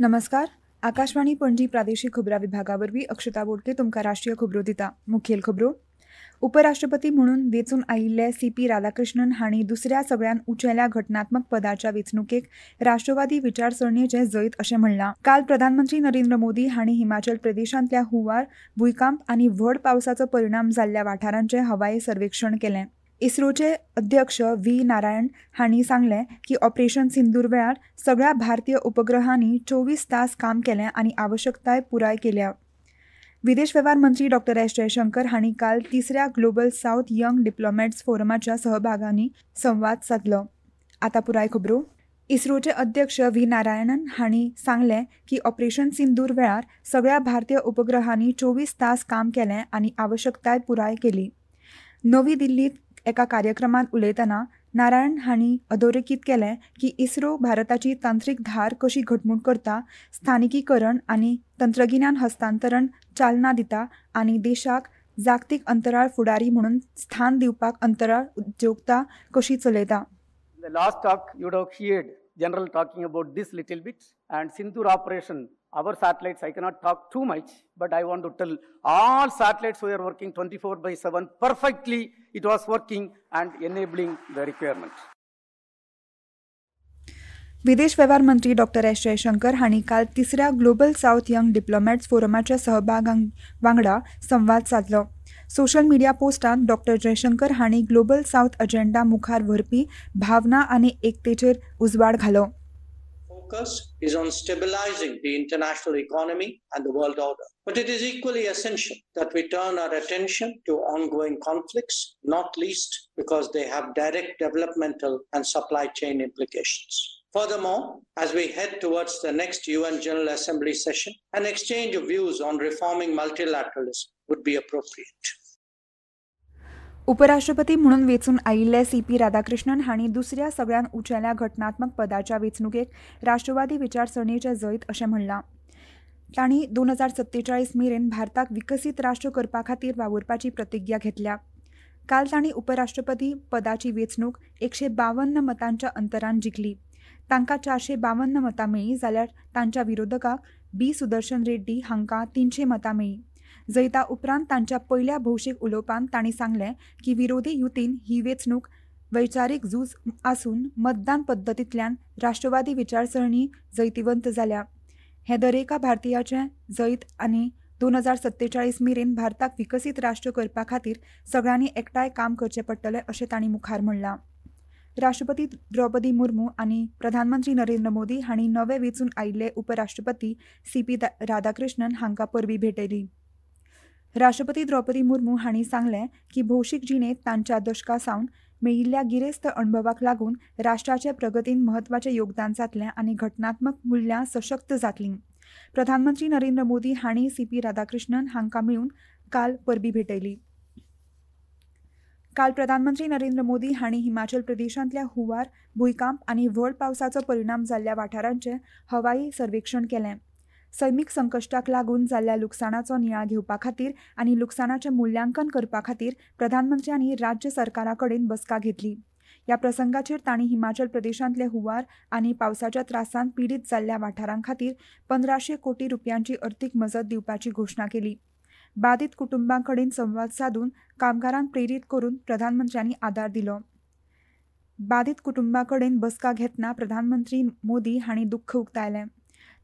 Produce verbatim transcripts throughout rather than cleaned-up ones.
नमस्कार, आकाशवाणी पणजी प्रादेशीक खबरां विभागा वरवीं अक्षता बोडके तुमकां राष्ट्रीय खबरो दिता. मुखेल खबरो. उपराष्ट्रपती म्हणून वेंचून आयिल्ले सी पी राधाकृष्णन हांणी दुसऱ्या सगळ्यात उंचेल्या घटनात्मक पदाच्या वेंचणुकेक राष्ट्रवादी विचारसरणेचें जैत अशें म्हणलां. काल प्रधानमंत्री नरेंद्र मोदी हांणी हिमाचल प्रदेशांतल्या हुंवार, भूंयकांप आनी व्हड पावसाचो परिणाम जाल्ल्या वाठारांचें हवाई सर्वेक्षण केलें. इस्रोचे अध्यक्ष व्ही नारायण हांणी सांगलें की ऑपरेशन सिंदूर वेळार सगळ्या भारतीय उपग्रहांनी चोवीस तास काम केलें आनी आवश्यकताय पुराय केल्या. विदेश वेव्हार मंत्री डॉक्टर एस जयशंकर हांणी काल तिसऱ्या ग्लोबल सावथ यंग डिप्लोमॅट्स फोरमाच्या सहभागांनी संवाद सादलो. आतां पुराय खबरो. इस्रोचे अध्यक्ष व्ही नारायणन हांणी सांगलें की ऑपरेशन सिंदूर वेळार सगळ्या भारतीय उपग्रहांनी चोवीस तास काम केलें आनी आवश्यकताय पुराय केली. नवी दिल्लींत एका कार्यक्रमात उलयतना नारायण हांणी अधोरेखीत केलें की इस्रो भारताची तांत्रीक धार कशी घटमूट करता, स्थानिकीकरण आनी तंत्रगिन्यान हस्तांतरण चालना दिता आनी देशाक जागतीक अंतराळ फुडारी म्हणून स्थान दिवपाक अंतराळ उद्योगता कशी चलयता. In the last talk you would have heard General talking about this little bit and Sindoor operation. Our satellites, I cannot talk too much, but I want to tell all satellites were working twenty-four by seven perfectly. It was working and enabling the requirement. विदेश वेव्हार मंत्री doctor S Jaishankar हांणी काल तिसऱ्या global south young डिप्लोमॅट्स फोरमाच्या सहभागां वांगडा संवाद सादलो. Social media पोस्टांत doctor Jaishankar हांणी global south agenda मुखार व्हरपी भावना आनी एकतेचेर उजवाड घालो. Focus is on stabilizing the international economy and the world order. But it is equally essential that we turn our attention to ongoing conflicts, not least because they have direct developmental and supply chain implications. Furthermore, as we head towards the next U N General Assembly session, an exchange of views on reforming multilateralism would be appropriate. उपराष्ट्रपती म्हणून वेंचून आयिल्ले C P Radhakrishnan हांणी दुसऱ्या सगळ्यात उंचेल्या घटनात्मक पदाच्या वेंचणुकेक राष्ट्रवादी विचारसरणेचें जैत अशें म्हणलां. तांणी दोन हजार सत्तेचाळीस मेरेन भारताक विकसीत राष्ट्र करपा खातीर वावुरपाची प्रतिज्ञा घेतल्या. काल तांणी उपराष्ट्रपती पदाची वेंचणूक एकशे बावन्न मतांच्या अंतरान जिखली. तांकां चारशे बावन्न मतां मेळ्ळीं जाल्यार तांच्या विरोधकाक बी सुदर्शन रेड्डी हांकां तिनशे मतां मेळ्ळीं. जैता उपरांत तांच्या पयल्या भौशीक उलोवपांत तांणी सांगलें की विरोधी युतीन ही वेंचणूक वैचारीक झूज आसून मतदान पद्दतींतल्यान राष्ट्रवादी विचारसरणी जैतिवंत जाल्या. हें दरेका भारतीयाचें जैत आनी दोन हजार सत्तेचाळीस मेरेन भारताक विकसीत राष्ट्र करपा खातीर सगळ्यांनी एकठांय काम करचें पडटलें अशें तांणी मुखार म्हणलां. राष्ट्रपती द्रौपदी मुर्मू आनी प्रधानमंत्री नरेंद्र मोदी हांणी नवे वेंचून आयिल्ले उपराष्ट्रपती सी पी राधाकृष्णन हांकां परबीं भेटयली. राष्ट्रपती द्रौपदी मुर्मू हांणी सांगलें की भौशीक जिणेंत तांच्या दशकां सावन मेळिल्ल्या गिरेस्त अणभवाक लागून राष्ट्राचे प्रगतीन म्हत्वाचें योगदान जातलें आनी घटनात्मक मुल्यां सशक्त जातलीं. प्रधानमंत्री नरेंद्र मोदी हांणी सी पी राधाकृष्णन हांकां मेळून काल परबीं भेटयली. काल प्रधानमंत्री नरेंद्र मोदी हांणी हिमाचल प्रदेशांतल्या हुंवार, भूंयकांप आनी व्हड पावसाचो परिणाम जाल्ल्या वाठारांचें हवाई सर्वेक्षण केलें. सैमीक संकश्टाक लागून जाल्ल्या लुकसाणाचो नियाळ घेवपा खातीर आनी लुकसाणाचें मुल्यांकन करपा खातीर प्रधानमंत्र्यांनी राज्य सरकारा कडेन बसका घेतली. ह्या प्रसंगाचेर तांणी हिमाचल प्रदेशांतले हुंवार आनी पावसाच्या त्रासान पिडीत जाल्ल्या वाठारां खातीर पंदराशे कोटी रुपयांची अर्थीक मजत दिवपाची घोशणा केली. बाधित कुटुंबां कडेन संवाद सादून कामगारांक प्रेरीत करून प्रधानमंत्र्यांनी आदार दिलो. बाधित कुटुंबां कडेन बसका घेतना प्रधानमंत्री मोदी हांणी दुख्ख उक्तायलें.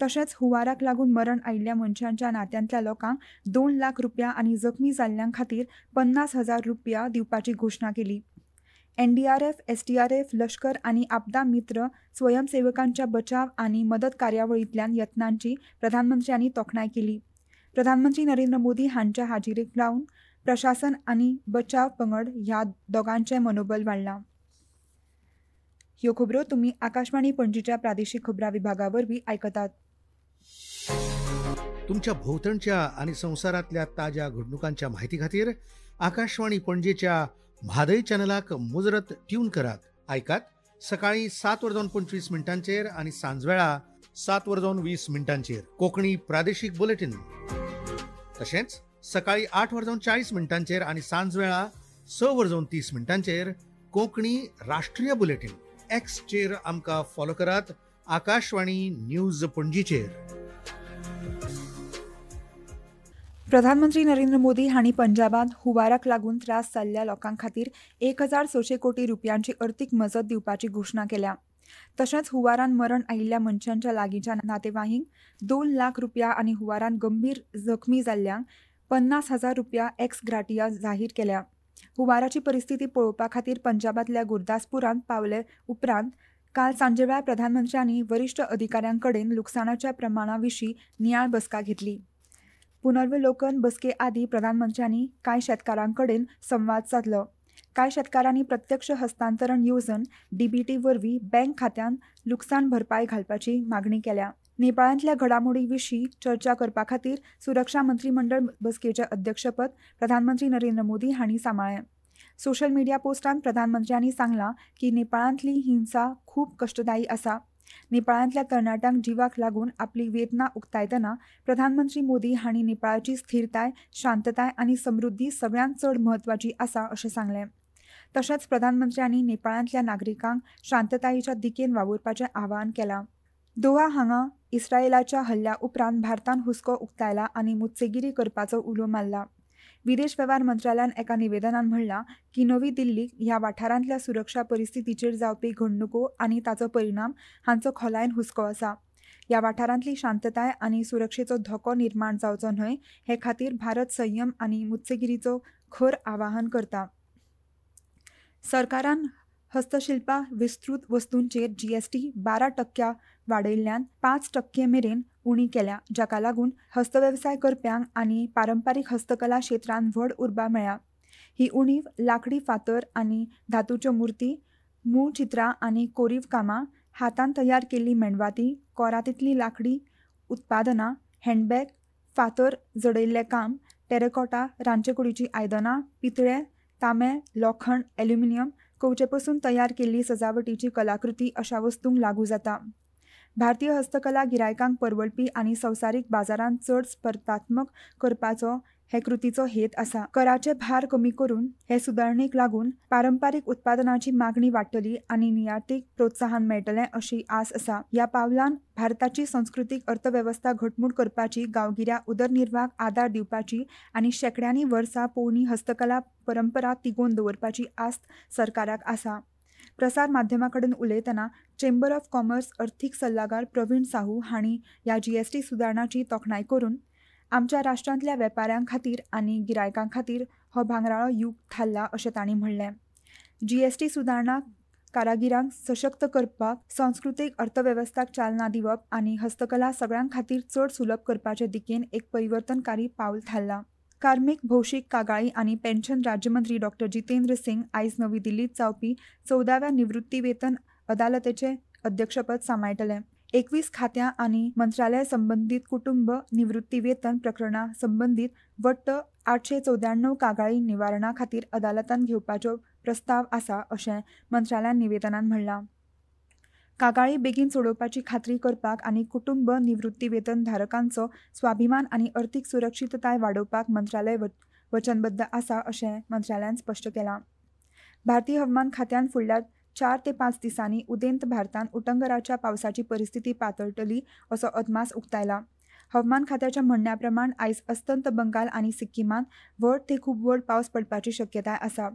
तशेंच हुंवाराक लागून मरण आयिल्ल्या मनशांच्या नात्यांतल्या लोकांक दोन लाख रुपया आनी जखमी जाल्ल्यां खातीर पन्नास हजार रुपया दिवपाची घोशणा केली. N D R F, S D R F, लश्कर आनी आपदा मित्र स्वयंसेवकांच्या बचाव आनी मदत कार्यावळींतल्यान यत्नांची प्रधानमंत्र्यांनी तोखणाय केली. प्रधानमंत्री नरेंद्र मोदी हांच्या हाजिरेक लावन प्रशासन आनी बचाव पंगड ह्या दोगांचें मनोबल वाडलां. ह्यो खबरो तुमी आकाशवाणी पणजीच्या प्रादेशीक खबरां विभागा वरवीं आयकतात. तुमच्या भोवतणच्या आनी संवसारांतल्या ताज्या घडणुकांच्या माहिती खातीर आकाशवाणी पणजेच्या म्हादय चॅनलाक मुजरत ट्यून करात. आयकात सकाळी सात वर जावन पंचवीस मिनटांचेर आनी सांजवेळा सात वर जावन वीस मिनटांचेर कोंकणी प्रादेशीक बुलेटीन. तशेंच सकाळी आठ वर जावन चाळीस मिनटांचेर आनी सांजवेळा स वर जावन तीस मिनटांचेर कोंकणी राष्ट्रीय बुलेटीन. एक्सचेर आमकां फॉलो करात आकाशवाणी न्यूज पणजीचेर. प्रधानमंत्री नरेंद्र मोदी हांणी पंजाबांत हुंवाराक लागून त्रास जाल्ल्या लोकां खातीर एक हजार सशे कोटी रुपयांची अर्थीक मजत दिवपाची घोशणा केल्या. तशेंच हुंवारान मरण आयिल्ल्या मनशांच्या लागींच्या नातेवाईंक दोन लाख रुपया आनी हुंवारान गंभीर जखमी जाल्ल्यांक पन्नास हजार रुपया एक्स ग्राटिया जाहीर केल्या. हुंवाराची परिस्थिती पळोवपा खातीर पंजाबांतल्या गुरदासपुरांत पावले उपरांत काल सांजेवेळार प्रधानमंत्र्यांनी वरिश्ठ अधिकाऱ्यां कडेन लुकसाणाच्या प्रमाणा विशीं नियाळ बसका घेतली. पुनर्वलोकन बसके आदीं प्रधानमंत्र्यांनी कांय शेतकारां कडेन संवाद सादलो. कांय शेतकारांनी प्रत्यक्ष हस्तांतरण येवजण डीबीटी वरवीं बँक खात्यांत लुकसाण भरपाय घालपाची मागणी केल्या. नेपाळांतल्या घडामोडी विशीं चर्चा करपा खातीर सुरक्षा मंत्रीमंडळ बसकेचें अध्यक्षपद प्रधानमंत्री नरेंद्र मोदी हांणी सांबाळ्ळें. सोशल मिडिया पोस्टांत प्रधानमंत्र्यांनी सांगलां की नेपाळांतली हिंसा खूब कश्टदायी आसा. नेपाळांतल्या तरणाट्यांक जिवाक लागून आपली वेदना उक्तायतना प्रधानमंत्री मोदी हांणी नेपाळाची स्थिरताय, शांतताय आनी समृद्धी सगळ्यांत चड म्हत्वाची आसा अशें सांगलें. तशेंच प्रधानमंत्र्यांनी नेपाळांतल्या नागरिकांक शांततायेच्या दिकेन वावुरपाचें आवाहन केलां. दोहा हांगा इस्रायलाच्या हल्ल्या उपरांत भारतान हुस्को उक्तायला आनी मुत्सेगिरी करपाचो उलो मारला. विदेश वेव्हार मंत्रालयान एका निवेदनान म्हणलां की नवी दिल्लीक ह्या वाठारांतल्या सुरक्षा परिस्थितीचेर जावपी घडणुको आनी ताचो परिणाम हांचो खोलायेन हुस्को आसा. ह्या वाठारांतली शांतताय आनी सुरक्षेचो धोको निर्माण जावचो न्हय हे खातीर भारत संयम आनी मुत्सेगिरीचो खर आवाहन करता. सरकारान हस्तशिल्पा विस्तृत वस्तूंचेर जीएसटी बारा टक्क्या वाडयल्ल्यान पांच टक्के मेरेन उणी केल्या, जाका लागून हस्तवेवसाय करप्यांक आनी पारंपारीक हस्तकला क्षेत्रांत व्हड उर्बा मेळ्ळ्या. ही उणीव लाकडी फातर आनी धातूच्यो मुर्ती, मूळ चित्रां आनी कोरीव कामां, हातान तयार केल्ली मेणवाती, कोरातींतली लाकडी उत्पादनां, हँडबॅग, फातर जडयल्लें काम, टेरेकॉटा, रांदचेकुडीचीं आयदनां, पितळे, तांबें, लोखण, एल्युमिनियम, कवचे पसून तयार केल्ली सजावटीची कलाकृती अशा वस्तूंक लागू जाता. भारतीय हस्तकला गिरायकांक परवडपी आनी संवसारीक बाजारांत चड स्पर्धात्मक करपाचो हे कृतीचो हेत आसा. कराचे भार कमी करून हे सुदारणेक लागून पारंपारीक उत्पादनाची मागणी वाडटली आनी निर्यातीक प्रोत्साहन मेळटलें अशी आस आसा. ह्या पावलान भारताची संस्कृतीक अर्थवेवस्था घटमूट करपाची, गांवगिऱ्या उदरनिर्वाहाक आदार दिवपाची आनी शेंकड्यांनी वर्सां पोरणी हस्तकला परंपरा तिगोवन दवरपाची आस्त सरकाराक आसा. प्रसार माध्यमां कडेन उलयतना चेंबर ऑफ कॉमर्स अर्थीक सल्लागार प्रवीण साहू हांणी ह्या जीएसटी सुदारणाची तोखणाय करून आमच्या राष्ट्रांतल्या वेपाऱ्यां खातीर आनी गिरायकां खातीर हो भांगराळो युग थारला अशें तांणी म्हणलें. जीएसटी सुदारणा कारागिरांक सशक्त करपाक, संस्कृतीक अर्थवेवस्थाक चालना दिवप आनी हस्तकला सगळ्यां खातीर चड सुलभ करपाचे दिकेन एक परिवर्तनकारी पावल थारलां. कार्मीक, भौशीक कागाळी आनी पेन्शन राज्यमंत्री डॉक्टर जितेंद्र सिंग आयज नवी दिल्लीत जावपी चवदाव्या निवृत्ती वेतन अदालतेचें अध्यक्षपद सांबाळटले. एकवीस खात्यां आनी मंत्रालय संबंदीत कुटुंब निवृत्ती वेतन प्रकरणां संबंदीत वट्ट आठशे चवद्याण्णव कागाळी निवारणा खातीर अदालतान घेवपाचो प्रस्ताव आसा अशें मंत्रालयान निवेदनान म्हणलां. कागाळी बेगीन सोडोवपाची खात्री करपाक आनी कुटुंब निवृत्ती वेतन धारकांचो स्वाभिमान आनी अर्थीक सुरक्षितताय वाडोवपाक मंत्रालय वचनबद्ध आसा अशें मंत्रालयान स्पश्ट केलां. भारतीय हवामान खात्यान फुडल्या चार ते पांच दिसांनी उदेंत भारतांत उटंगराच्या पावसाची परिस्थिती पातळटली असो अदमास उक्तायला. हवामान खात्याच्या म्हणण्या प्रमाण आयज अस्तंत बंगाल आनी सिक्किमांत व्हड ते खूब व्हड पावस पडपाची शक्यताय आसा.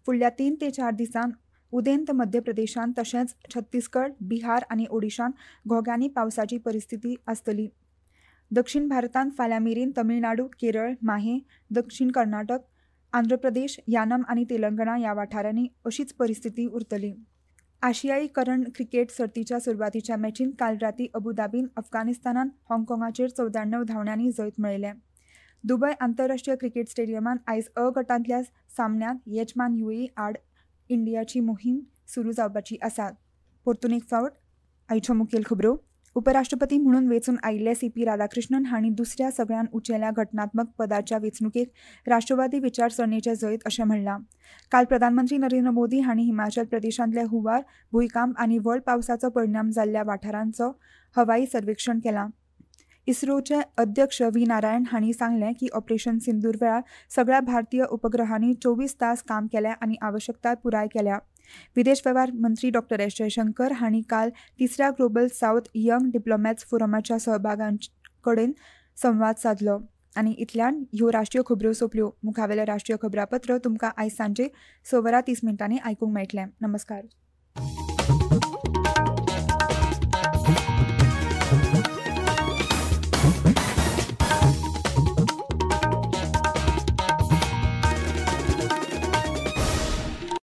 फुडल्या तीन ते चार दिसांत उदेंत मध्य प्रदेशांत तशेंच छत्तीसगड, बिहार आनी ओडिशांत घोग्यांनी पावसाची परिस्थिती आसतली. दक्षिण भारतांत फाल्यां मेरेन तमिळनाडू, केरळ, माहे, दक्षिण कर्नाटक, आंध्र प्रदेश, यानम आनी तेलंगणा ह्या वाठारांनी अशीच परिस्थिती उरतली. आशियाई करंड क्रिकेट सर्तीच्या सुरवातीच्या मॅचींत काल राती अबुधाबीन अफगाणिस्तानान हाँगकाँगाचेर चवद्याण्णव धांवड्यांनी जैत मेळयलें. दुबय आंतरराष्ट्रीय क्रिकेट स्टेडियमांत आयज अ गटांतल्या सामन्यांत येजमान युएई आड इंडियाची मोहीम सुरू जावपाची आसा. परतून एक फावट आयच्यो मुखेल खबरो. उपराष्ट्रपती म्हणून वेंचून आयिल्ले सी पी राधाकृष्णन हांणी दुसऱ्या सगळ्यात उंचेल्या घटनात्मक पदाच्या वेंचणुकेक राष्ट्रवादी विचारसरणेचें जैत अशें म्हणलां. काल प्रधानमंत्री नरेंद्र मोदी हांणी हिमाचल प्रदेशांतल्या हुंवार, भूंयकांप आनी व्हड पावसाचो परिणाम जाल्ल्या वाठारांचो हवाई सर्वेक्षण केलां. इस्रोचे अध्यक्ष व्ही नारायण हांणी सांगलें की ऑपरेशन सिंदूर वेळार सगळ्या भारतीय उपग्रहांनी चोवीस तास काम केलें आनी आवश्यकताय पुराय केल्या. विदेश वेव्हार मंत्री डॉक्टर एस जयशंकर हांणी काल तिसऱ्या ग्लोबल सावथ यंग डिप्लोमॅट्स फोरमाच्या सहभागां कडेन संवाद सादलो. आनी इतल्यान ह्यो राष्ट्रीय खबऱ्यो सोंपल्यो. मुखावेलें राष्ट्रीय खबरापत्र तुमकां आयज सांजे स वरां तीस मिनटांनी आयकूंक मेळटलें. नमस्कार.